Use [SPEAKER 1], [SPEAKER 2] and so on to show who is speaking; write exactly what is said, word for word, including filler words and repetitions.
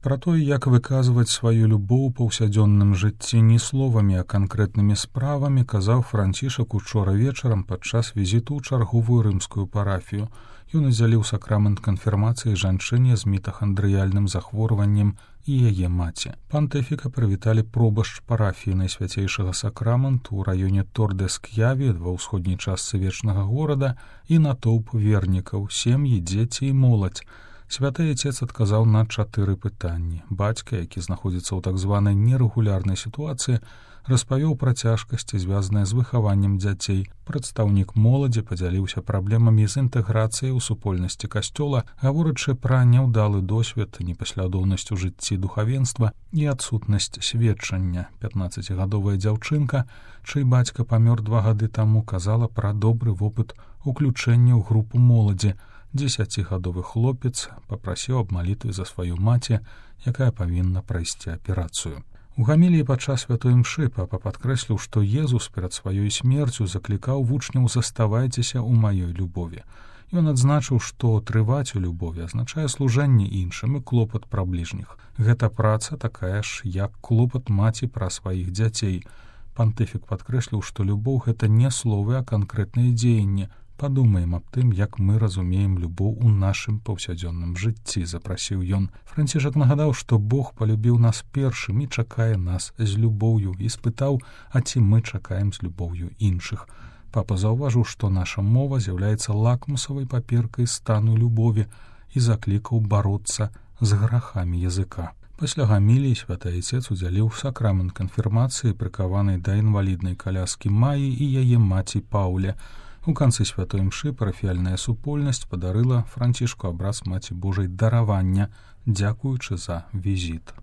[SPEAKER 1] Пра тое, як выказваць сваю любоў у паўсядзённым жыцці не словамі, а канкрэтнымі справамі, казаў Францішак учора вечарам падчас візіту ў чарговую рымскую парафію. Ён удзяліў сакрамент канфірмацыі жанчыне з мітахандрыяльным захворваннем і яе маці. Пантыфіка прывіталі пробашч парафіі Найсвяцейшага сакраменту ў раёне Тор-де-Ск'яві ва ўсходняй частцы вечнага горада і натоўп вернікаў, сем'і, дзеці і моладзь. Святы Отец адказаў на чатыры пытанні. Бацька, які знаходзіцца ў так званай нерэгулярнай сітуацыі, распавёў пра цяжкасці, звязаныя з выхаваннем дзяцей. Прадстаўнік моладзі падзяліўся праблемамі з інтэграцыяй у супольнасці касцёла, гаворачы пра няўдалы досвед, непаслядоўнасць у жыцці духавенства і адсутнасць сведчання. пятнаццацігадовая дзяўчынка, чый бацька памёр два гады таму, казала пра добры вопыт уключэння ў групу моладзі. Дзесяцігадовы хлопец папрасіў аб малітвы за сваю маці, якая павінна прайсці аперацыю. У гаміліі падчас святой імшы папа падкрэсліў, што Езус перад сваёй смерцю заклікаў вучняў «Заставайцеся ў маёй любові». Ён адзначыў, што трываць у любові азначае служэнне іншым і клопат пра бліжніх. Гэта праца такая ж, як клопат маці пра сваіх дзяцей. Пантыфік падкрэсліў, што любоў — гэта не словы, а канкрэтныя дзеянні. Падумаем аб тым, як мы разумеем любоў у нашым паўсядзённым жыцці, запрасіў ён. Францішак нагадаў, што Бог палюбіў нас першым і чакае нас з любоўю, і спытаў, а ці мы чакаем з любоўю іншых. Папа заўважыў, што наша мова з'яўляецца лакмусавай паперкай стану любові і заклікаў бароцца з грахамі языка. Пасля гаміліі святы Отец удзяліў сакрамент канфірмацыі прыкаванай да інваліднай каляскі Маі і яе маці Паўле. У канцы святой імшы парафіяльная супольнасць падарыла Францішку абраз Маці Божай даравання, дзякуючы за візіт.